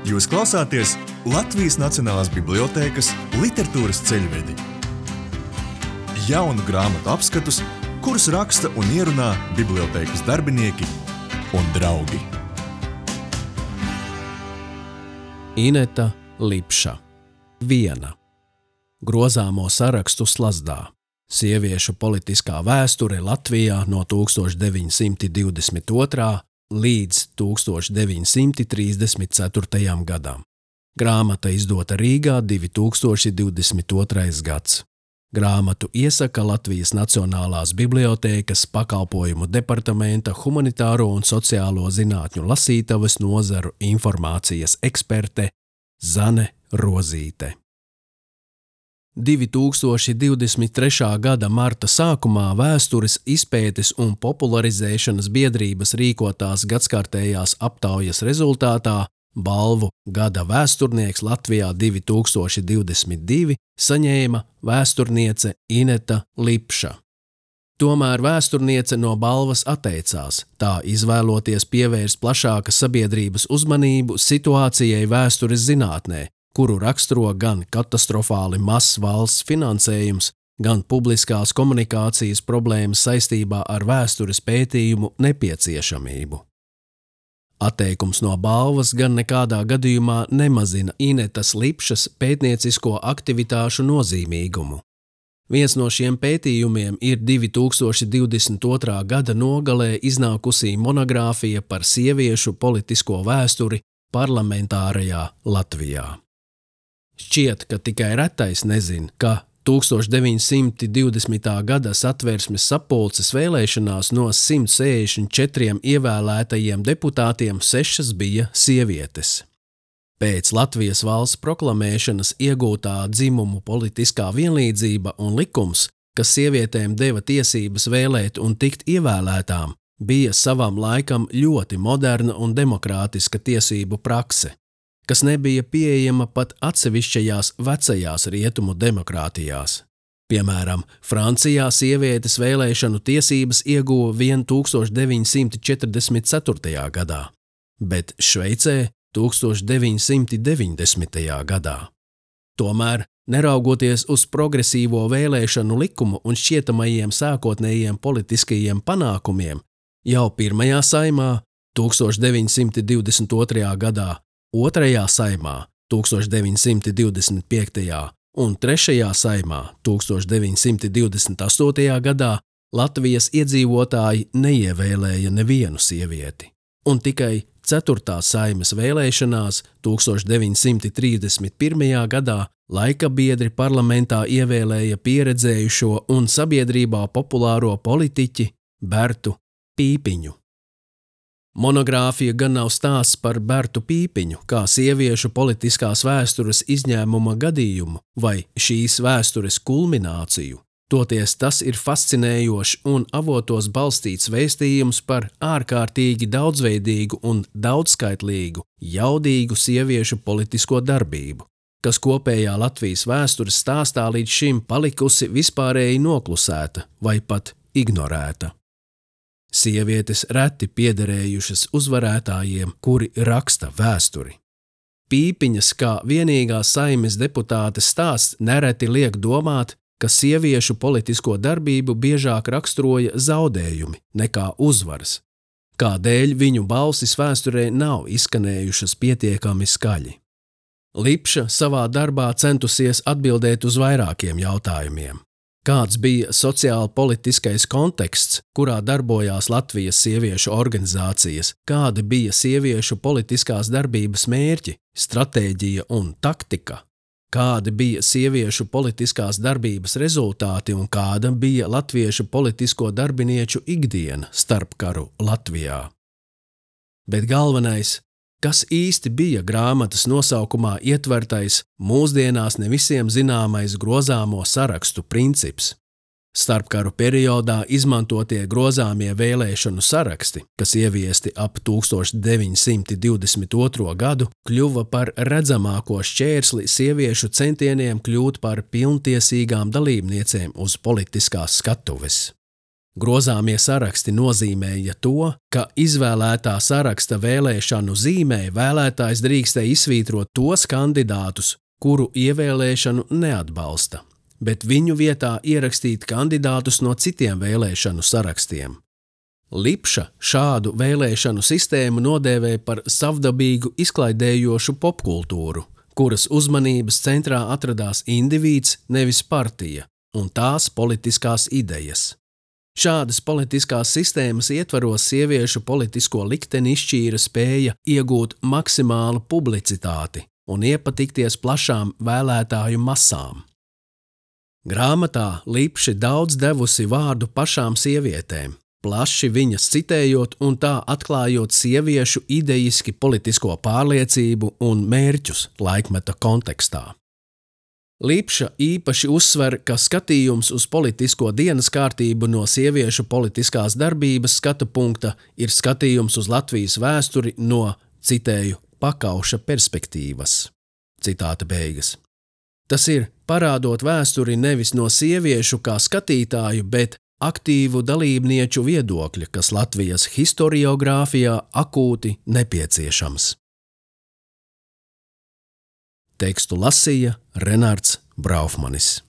Jūs klausāties Latvijas Nacionālās bibliotēkas literatūras ceļvedi. Jaunu grāmatu apskatus, kurus raksta un ierunā bibliotēkas darbinieki un draugi. Ineta Lipša. 1. Grozāmo sarakstu slazdā. Sieviešu politiskā vēsture Latvijā no 1922. līdz 1934. gadam. Grāmata izdota Rīgā 2022. gads. Grāmatu iesaka Latvijas Nacionālās bibliotēkas pakalpojumu departamenta humanitāro un sociālo zinātņu lasītavas nozaru informācijas eksperte Zane Rozīte. 2023. gada marta sākumā Vēstures izpētes un popularizēšanas biedrības rīkotās gadskārtējās aptaujas rezultātā balvu Gada vēsturnieks Latvijā 2022 saņēma vēsturniece Ineta Lipša. Tomēr vēsturniece no balvas atteicās, tā izvēloties pievērst plašākas sabiedrības uzmanību situācijai vēstures zinātnē, kuru raksturo gan katastrofāli mazs valsts finansējums, gan publiskās komunikācijas problēmas saistībā ar vēstures pētījumu nepieciešamību. Atteikums no balvas gan nekādā gadījumā nemazina Inetas Lipšas pētniecisko aktivitāšu nozīmīgumu. Viens no šiem pētījumiem ir 2022. gada nogalē iznākusī monogrāfija par sieviešu politisko vēsturi parlamentārajā Latvijā. Šķiet, ka tikai retais nezin, ka 1920. gada Satversmes sapulces vēlēšanās no 164 ievēlētajiem deputātiem 6 bija sievietes. Pēc Latvijas valsts proklamēšanas iegūtā dzimumu politiskā vienlīdzība un likums, kas sievietēm deva tiesības vēlēt un tikt ievēlētām, bija savam laikam ļoti moderna un demokrātiska tiesību prakse, kas nebija pieejama pat atsevišķajās vecajās rietumu demokrātijās. Piemēram, Francijā sievietes vēlēšanu tiesības ieguva vien 1944. gadā, bet Šveicē 1990. gadā. Tomēr, neraugoties uz progresīvo vēlēšanu likumu un šķietamajiem sākotnējiem politiskajiem panākumiem, jau pirmajā saimā 1922. gadā, otrajā saimā 1925. un trešajā saimā 1928. gadā Latvijas iedzīvotāji neievēlēja nevienu sievieti, un tikai 4. saimes vēlēšanās 1931. gadā laika biedri parlamentā ievēlēja pieredzējušo un sabiedrībā populāro politiķi Bertu Pīpiņu. Monogrāfija gan nav stāsts par Bertu Pīpiņu kā sieviešu politiskās vēstures izņēmuma gadījumu vai šīs vēstures kulmināciju, toties tas ir fascinējošs un avotos balstīts vēstījums par ārkārtīgi daudzveidīgu un daudzskaitlīgu, jaudīgu sieviešu politisko darbību, kas kopējā Latvijas vēstures stāstā līdz šim palikusi vispārēji noklusēta vai pat ignorēta. Sievietes reti piederējušas uzvarētājiem, kuri raksta vēsturi. Pīpiņas kā vienīgā saimes deputātes stāsts nereti liek domāt, ka sieviešu politisko darbību biežāk raksturoja zaudējumi nekā uzvaras, kādēļ viņu balsis vēsturē nav izskanējušas pietiekami skaļi. Lipša savā darbā centusies atbildēt uz vairākiem jautājumiem. Kāds bija sociāli-politiskais konteksts, kurā darbojās Latvijas sieviešu organizācijas, kādi bija sieviešu politiskās darbības mērķi, stratēģija un taktika, kādi bija sieviešu politiskās darbības rezultāti un kāda bija latviešu politisko darbinieču ikdiena starpkaru Latvijā. Bet galvenais, kas īsti bija grāmatas nosaukumā ietvertais mūsdienās ne visiem zināmais grozāmo sarakstu princips. Starpkaru periodā izmantotie grozāmie vēlēšanu saraksti, kas ieviesti ap 1922. gadu, kļuva par redzamāko šķērsli sieviešu centieniem kļūt par pilntiesīgām dalībniecēm uz politiskās skatuves. Grozāmie saraksti nozīmēja to, ka izvēlētā saraksta vēlēšanu zīmē vēlētājs drīkstēja izsvītrot tos kandidātus, kuru ievēlēšanu neatbalsta, bet viņu vietā ierakstīt kandidātus no citiem vēlēšanu sarakstiem. Lipša šādu vēlēšanu sistēmu nodēvēja par savdabīgu izklaidējošu popkultūru, kuras uzmanības centrā atradās indivīds, nevis partija, un tās politiskās idejas. Šādas politiskās sistēmas ietvaros sieviešu politisko likteni izšķīra spēja iegūt maksimālu publicitāti un iepatikties plašām vēlētāju masām. Grāmatā Lipši daudz devusi vārdu pašām sievietēm, plaši viņas citējot un tā atklājot sieviešu idejiski politisko pārliecību un mērķus laikmeta kontekstā. Lipša īpaši uzsver, ka skatījums uz politisko dienas kārtību no sieviešu politiskās darbības skatu punkta ir skatījums uz Latvijas vēsturi no, citēju, pakauša perspektīvas. Citāta beigas. Tas ir parādot vēsturi nevis no sieviešu kā skatītāju, bet aktīvu dalībnieču viedokļa, kas Latvijas historiogrāfijā akūti nepieciešams. Tekstu lasīja Renārds Braufmanis.